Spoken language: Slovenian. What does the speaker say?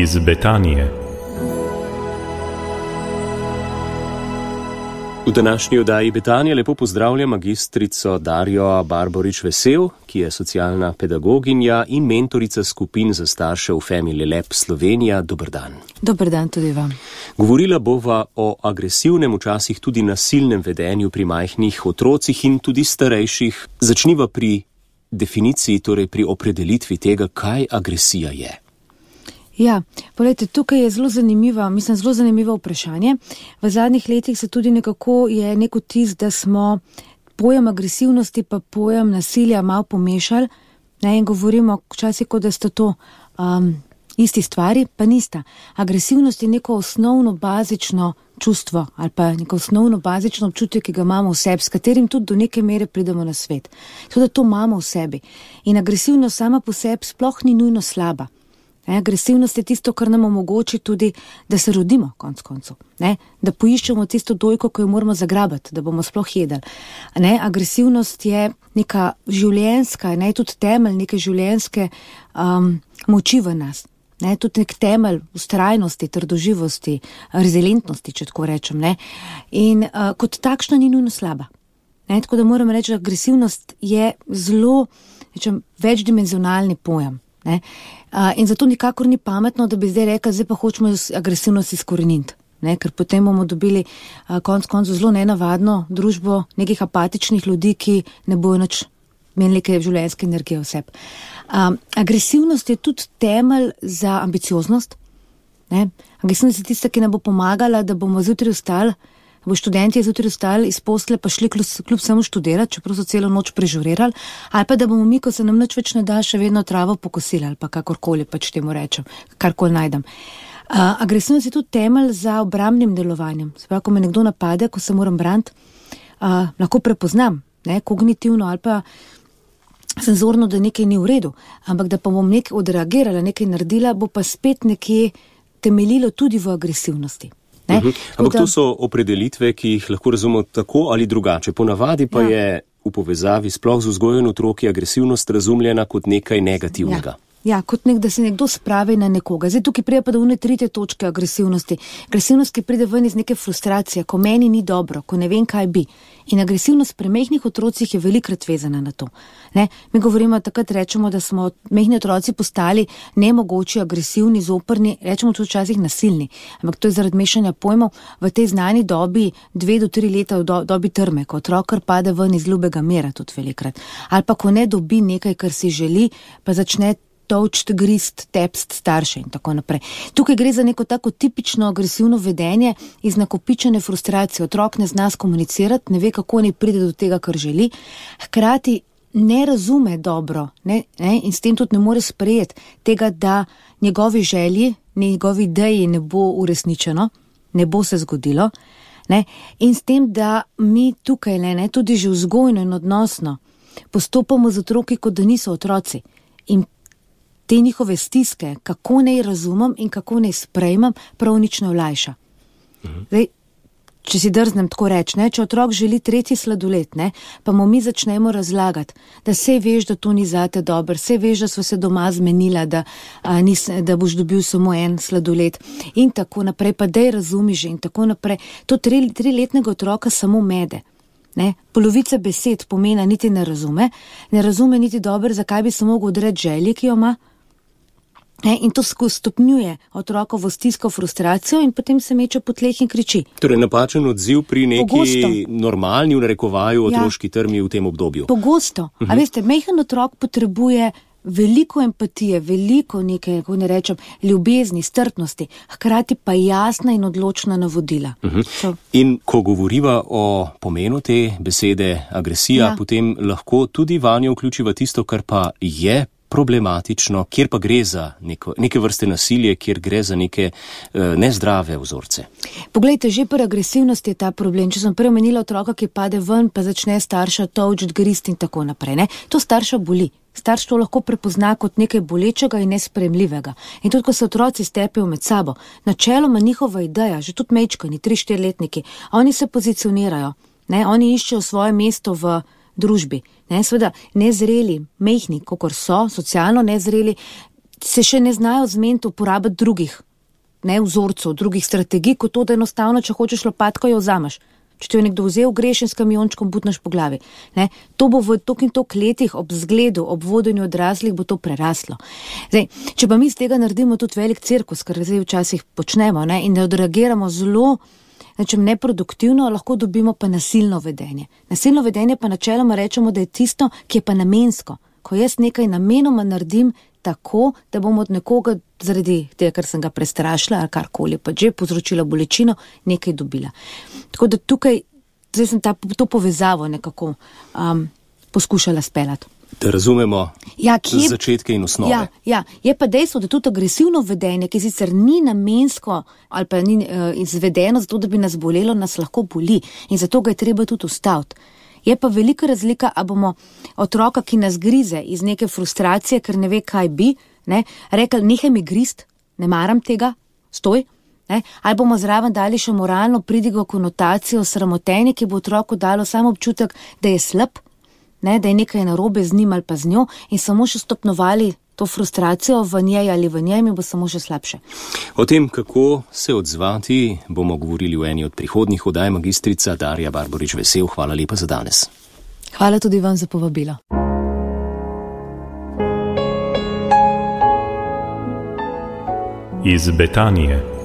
iz Betanije. V današnji oddaji Betanije lepo pozdravljam magistrico Darjo Barborič-Vesel, ki je socialna pedagoginja in mentorica skupin za starše v Family Lab Slovenija. Dober dan. Dober dan tudi vam. Govorila bova o agresivnem, včasih tudi nasilnem vedenju pri majhnih otrocih in tudi starejših. Začniva pri definiciji, torej pri opredelitvi tega, kaj agresija je. Ja, poglejte, tukaj je zelo zanimivo vprašanje. V zadnjih letih se tudi nekako je nek vtis, da smo pojem agresivnosti pa pojem nasilja malo pomešali, ne, in govorimo včasih, kot da sta to isti stvari, pa nista. Agresivnost je neko osnovno bazično čustvo ali pa neko osnovno bazično občutje, ki ga imamo v sebi, s katerim tudi do neke mere pridemo na svet. Tudi to imamo v sebi. In agresivnost sama po sebi sploh ni nujno slaba. Agresivnost je tisto, kar nam omogoči tudi, da se rodimo konec koncev, da poiščemo tisto dojko, ko jo moramo zagrabati, da bomo sploh jedli. Agresivnost je neka življenjska, tudi temelj neke življenjske moči v nas. Tudi nek temelj vztrajnosti, trdoživosti, rezilientnosti, če tako rečem. In kot takšna ni nujno slaba. Tako da moram reči, da agresivnost je zelo večdimenzionalni pojem. In zato nikakor ni pametno, da bi zdaj rekli, zdaj pa hočemo agresivnost izkoreniniti. Ker potem bomo dobili konec koncev zelo nenavadno družbo nekih apatičnih ljudi, ki ne bojo nič imeli neke življenjske energije v sebi. Agresivnost je tudi temelj za ambicioznost. Agresivnost je tista, ki nam bo pomagala, da bomo zjutraj vstali, bo študenti zjutraj vstali iz posle pa šli kljub samo študirati, čeprav so celo noč prežurirali, ali pa da bomo mi, ko se nam nič več ne da, še vedno travo pokosili, ali pa kakorkoli pač temu rečem, karkoli najdem. Agresivnost je tudi temelj za obrambnim delovanjem. Se pravi, ko me nekdo napade, ko se moram braniti, lahko prepoznam, kognitivno ali pa senzorno, da nekaj ni v redu, ampak da pa bom nekaj odreagirala, nekaj naredila, bo pa spet nekje temeljilo tudi v agresivnosti. Ampak to so opredelitve, ki jih lahko razumemo tako ali drugače. Ponavadi pa je v povezavi sploh z vzgojo otroki agresivnost razumljena kot nekaj negativnega. Ja, kot da se nekdo spravi na nekoga. Zdaj tukaj pride pa do one tretje točke agresivnosti. Agresivnost, ki pride ven iz neke frustracije, ko meni ni dobro, ko ne vem, kaj bi. In agresivnost pri mehnih otrocih je velikrat vezana na to. Mi govorimo, takrat rečemo, da smo mehni otroci postali nemogoči, agresivni, zoprni, rečemo tudi včasih nasilni. Ampak to je zaradi mešanja pojmov v tej znani dobi 2 do 3 leta v dobi trme, ko otrok kar pade ven iz ljubega mira tudi velikrat. Ali pa ko ne dobi nekaj, kar si želi, pa začne tolčt, grist, tepst starše in tako naprej. Tukaj gre za neko tako tipično agresivno vedenje iz nakopičene frustracije. Otrok ne zna skomunicirati, ne ve, kako naj pride do tega, kar želi, hkrati ne razume dobro, in s tem tudi ne more sprejeti tega, da njegovi želji, njegovi ideji ne bo uresničeno, ne bo se zgodilo, in s tem, da mi tukaj tudi že vzgojno in odnosno postopamo z otroki, kot da niso otroci. In te njihove stiske, kako naj razumem in kako naj sprejmem, prav nič ne olajša. Zdaj, če si drznem tako reči, če otrok želi 3. sladoled, pa mu mi začnemo razlagati, da saj veš, da to ni zate dobro, saj veš, da sva se doma zmenila, da boš dobil samo en sladoled in tako naprej, pa daj razumi že in tako naprej. To 3-letnega otroka samo mede. Polovica besed pomena niti ne razume niti dobro, zakaj bi se mogel odreči želji, ki jo ima. In to stopnjuje otrokovo stisko, frustracijo in potem se meče po tleh in kriči. Torej napačen odziv pri neki normalni, v narekovaju, otroški trmi v tem obdobju. Pogosto. A veste, majhen otrok potrebuje veliko empatije, veliko nekaj, kako ne rečem, ljubezni, strpnosti, hkrati pa jasna in odločna navodila. In ko govoriva o pomenu te besede agresija, potem lahko tudi vanjo vključiva tisto, kar pa je problematično, kjer pa gre za neke vrste nasilje, kjer gre za neke nezdrave vzorce. Poglejte, že pri agresivnosti je ta problem. Če sem prej omenila otroka, ki pade ven, pa začne starša tolčiti, grist in tako naprej. To starša boli. Starš to lahko prepozna kot nekaj bolečega in nesprejemljivega. In tudi, ko se otroci stepejo med sabo, načeloma njihova ideja, že tudi mečkani, 3-4-letniki, oni se pozicionirajo, oni iščejo svoje mesto v družbi. Seveda nezreli, mehni, kakor so, socialno nezreli, se še ne znajo zmeniti uporabiti drugih, ne, vzorcev, drugih strategij, kot to, da enostavno, če hočeš lopatko, jo vzameš. Če ti jo nekdo vzel, greš in s kamiončkom butneš po glavi. Ne? To bo v tok in tok letih ob zgledu, ob vodenju odraslih bo to preraslo. Zdaj, če pa mi z tega naredimo tudi velik cirkus, kar zdaj včasih počnemo, ne? In ne odreagiramo zelo, nečem neproduktivno, lahko dobimo pa nasilno vedenje. Nasilno vedenje pa načeloma rečemo, da je tisto, ki je pa namensko. Ko jaz nekaj namenoma naredim tako, da bom od nekoga zaradi tega, ker sem ga prestrašila ali karkoli pa že povzročila bolečino, nekaj dobila. Tako da tukaj, zdaj sem to povezavo nekako poskušala speljati. Da razumemo začetke in osnove. Ja, je pa dejstvo, da tudi agresivno vedenje, ki sicer ni namensko ali pa ni izvedeno zato, da bi nas bolelo, nas lahko boli in zato ga je treba tudi ustaviti. Je pa velika razlika, a bomo otroka, ki nas grize iz neke frustracije, ker ne ve, kaj bi, ne, rekli, nehaj mi grist, ne maram tega, stoj, ne, ali bomo zraven dali še moralno pridigo konotacijo sramotenje, ki bo otroku dalo samo občutek, da je slab, ne, da je nekaj narobe z njim ali pa z njo in samo še stopnovali to frustracijo v njej ali v njej, mi bo samo še slabše. O tem, kako se odzvati, bomo govorili v eni od prihodnjih oddaj. Magistrica Darja Barborič Vesel, hvala lepa za danes. Hvala tudi vam za povabilo. Iz Betanije.